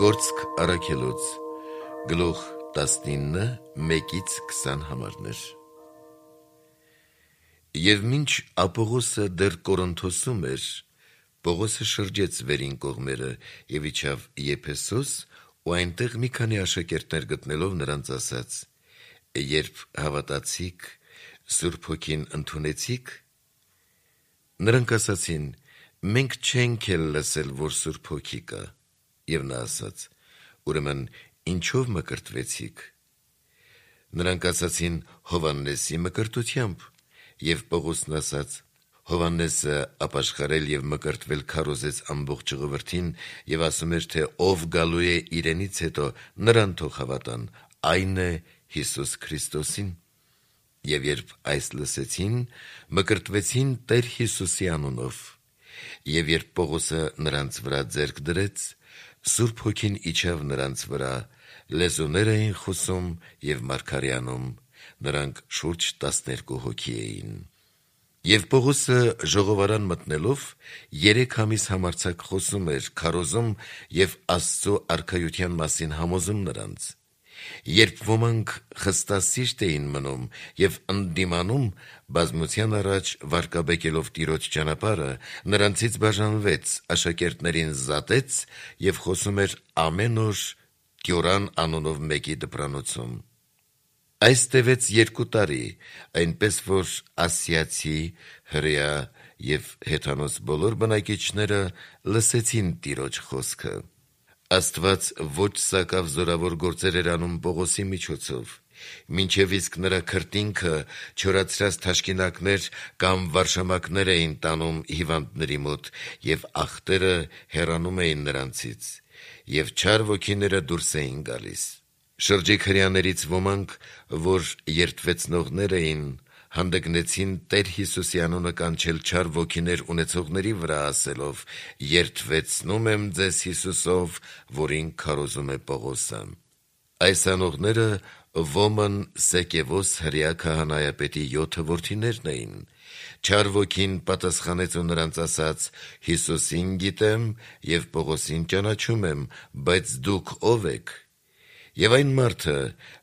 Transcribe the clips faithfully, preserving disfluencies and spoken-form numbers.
Գործք առաքելոց, գլուխ տասնինը, մեկից քսան համարներ։ Եվ մինչ Ապողոսը դեռ Կորինթոսում էր, Պողոսը շրջեց վերին կողմերը և իջավ Եփեսոս ու այնտեղ մի քանի աշակերտներ գտնելով նրանց ասաց. «Երբ հավատացիք, Սուրբ Հոգին ընդունեցիք»։ Նրանք ասացին. «Մենք չենք էլ լսել, որ Սուրբ Հոգի կա»։ Եվ նա ասաց. «Ուրեմն ինչո՞վ մկրտվեցիք»։ Նրանք ասացին. «Հովհաննեսի մկրտությամբ»։ Եվ Պողոսն ասաց. «Հովհաննեսը ապաշխարել և մկրտվել քարոզեց ամբողջ ժողովրդին և ասում էր, թե ով գալու է իրենից հետո, նրան թող հավատան, այն է Հիսուս Քրիստոսին»։ Եվ երբ այս լսեցին, մկրտվեցին Տեր Հիսուսի անունով։ Եվ երբ Պողոսը նրանց վրա ձեռք դրեց, Սուրբ Հոգին իջավ նրանց վրա, լեզուներ էին խոսում և մարգարեանում, նրանք շուրջ տասներկու հոգի էին։ Եվ Պողոսը ժողովարան մտնելով, երեք ամիս համարձակ խոսում էր, քարոզում և Աստծու արքայության մասին համոզում նրանց։ Երբ ոմանք խստասիրտ էին մնում և ընդդիմանում, բազմության առաջ վարկաբեկելով Տիրոջ ճանապարհը, նրանցից բաժանվեց, աշակերտներին զատեց և խոսում էր ամեն օր Կյորան անունով մեկի դպրանոցում։ Այս տևեց երկու տարի, այնպես որ ասիացի, հրեա և հեթանոս բոլոր բնակիչները լսեցին Տիրոջ խոսքը։ Աստված ոչ սակավ զորավոր գործեր էր անում Պողոսի միջոցով, մինչև իսկ նրա քրտինքը չորացրած թաշկինակներ կամ վարշամակներ էին տանում հիվանդների մոտ, և ախտերը հեռանում էին նրանցից, և չար ոգիները դուրս էին գալիս։ Շրջիկ հրեաներից ոմանք, որ երդվեցնողներ էին, հանդգնեցին Տեր Հիսուսի անունը կանչել չար ոգիներ ունեցողների վրա, ասելով. «Երդվեցնում եմ ձեզ Հիսուսով, որին քարոզում է Պողոսը»։ Այս անողները Ոմն Սեկևոս հրեա քահանայապետի յոթը որդիներն էին։ Չար ոգին պատասխանեց ու նրանց ասաց. «Հիսուսին գիտեմ և Պողոսին ճանաչում եմ, բայց դուք ո՞վ եք»։ Եվ այն մարդը,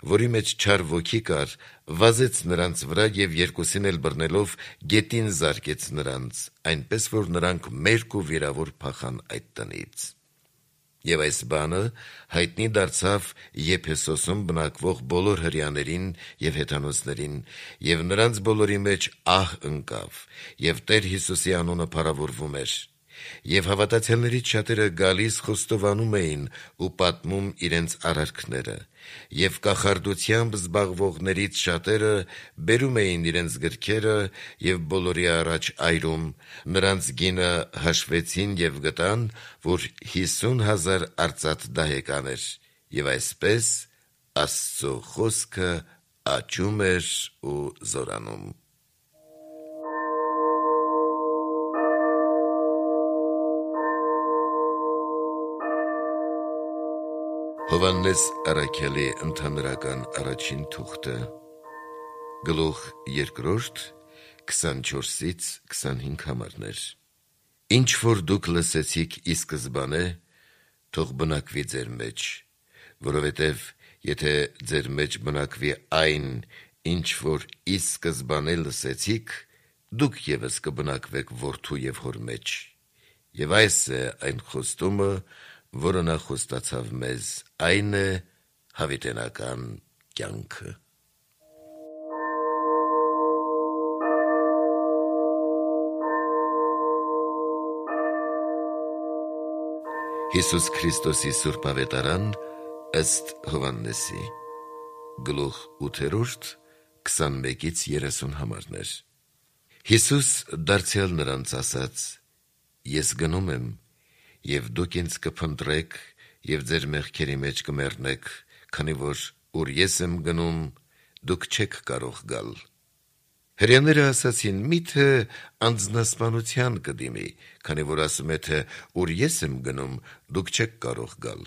որի մեջ չար ոգի կար, վազեց նրանց վրա և երկուսին էլ բռնելով գետին զարկեց նրանց, այնպես որ նրանք մերկ ու վիրավոր փախան այդ տնից։ Եվ այս բանը հայտնի դարձավ Եփեսոսում բնակվող բոլոր հրեաներին և հեթանոսներին, և նրանց բոլորի մեջ ահ ընկավ, և Տեր Հիսուսի անունը փառավորվում էր։ Եվ հավատացյալներից շատերը գալիս խոստովանում էին ու պատմում իրենց արարքները, և կախարդությամբ զբաղվողներից շատերը բերում էին իրենց գրքերը և բոլորի առաջ այրում, նրանց գինը հաշվեցին և գտան, որ հիսուն հազար արծաթ դահեկան էր, և այսպես Աստծու խոսքը աճում էր ու զորանում։ Հովհաննես առաքյալի ընդհանրական առաջին թուղթը, գլուխ երկրորդ, քսանչորսից քսանհինգ համարներ։ Ինչ որ դուք լսեցիք ի սկզբանե, թող բնակվի ձեր մեջ, որովհետև եթե ձեր մեջ բնակվի այն, ինչ որ ի սկզբանե լսեցիք, դուք ևս կբնակվեք որդու և հոր մեջ։ Եվ այս է այն խոստումը, որը նա խոստացավ մեզ, այն է հավիտենական կյանքը։ Հիսուս Քրիստոսի Սուրբ Ավետարան ըստ Հովհաննեսի, գլուխ ութերորդ, քսանմեկից երեսուն համարներ։ Հիսուս դարձյալ նրանց ասաց. «Ես գնում եմ, և դուք ինձ կփնտրեք և ձեր մեղքերի մեջ կմեռնեք, քանի որ ուր ես եմ գնում, դուք չեք կարող գալ»։ Հրեաները ասացին. «Մի՞թե անձնասպանության կդիմի, քանի որ ասում է, թե ուր ես եմ գնում, դուք չեք կարող գալ»։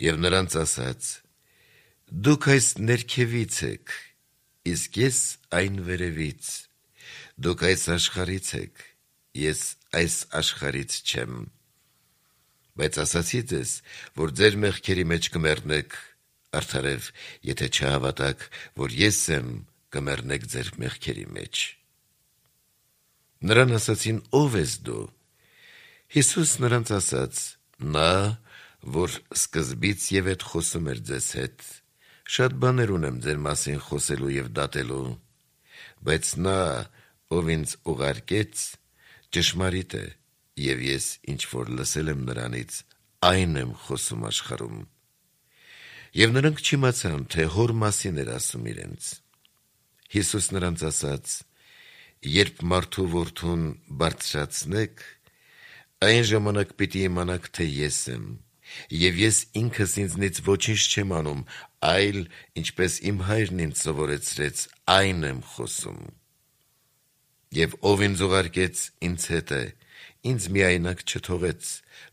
Եվ նրանց ասաց. «Դուք այս ներքևից եք, իսկ ես այն վերևից. դուք այս աշխարհից եք, ես այս աշխարհից չեմ։ Բայց ասացի ձեզ, որ ձեր մեղքերի մեջ կմեռնեք, արդարև, եթե չհավատաք, որ ես եմ, կմեռնեք ձեր մեղքերի մեջ։ Նրան ասացին. ով ես դու։ Հիսուս նրանց ասաց. նա, որ սկզբից եւ այդ խոսում էր ձեզ հետ, շատ բաներ ունեմ ձեր մասին խոսելու եւ դատելու, բայց նա, ով ինձ ուղարկեց, ճշմարիտ է, եւ ես ինչ որ լսել եմ նրանից, այն եմ խոսում աշխարհում։ Եվ նրանք չիմացան, թե հոր մասին էր ասում իրենց։ Հիսուս նրանց ասաց. երբ մարդու որդուն բարձրացնեք, այն ժամանակ պիտի իմանաք, թե ես եմ, եւ ես ինքս ինձնից ոչինչ չեմ անում, այլ ինչպես իմ հայրն ինձ սովորեցրեց, այն եմ խոսում։ Եվ ով ինձ ուղարկեց, ինձ հետ է, ինձ միայնակ չթողեց,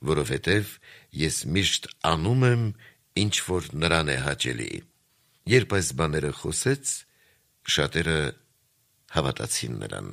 որովհետև ես միշտ անում եմ, ինչ որ նրան է հաճելի։ Երբ այս բաները խոսեց, շատերը հավատացին նրան։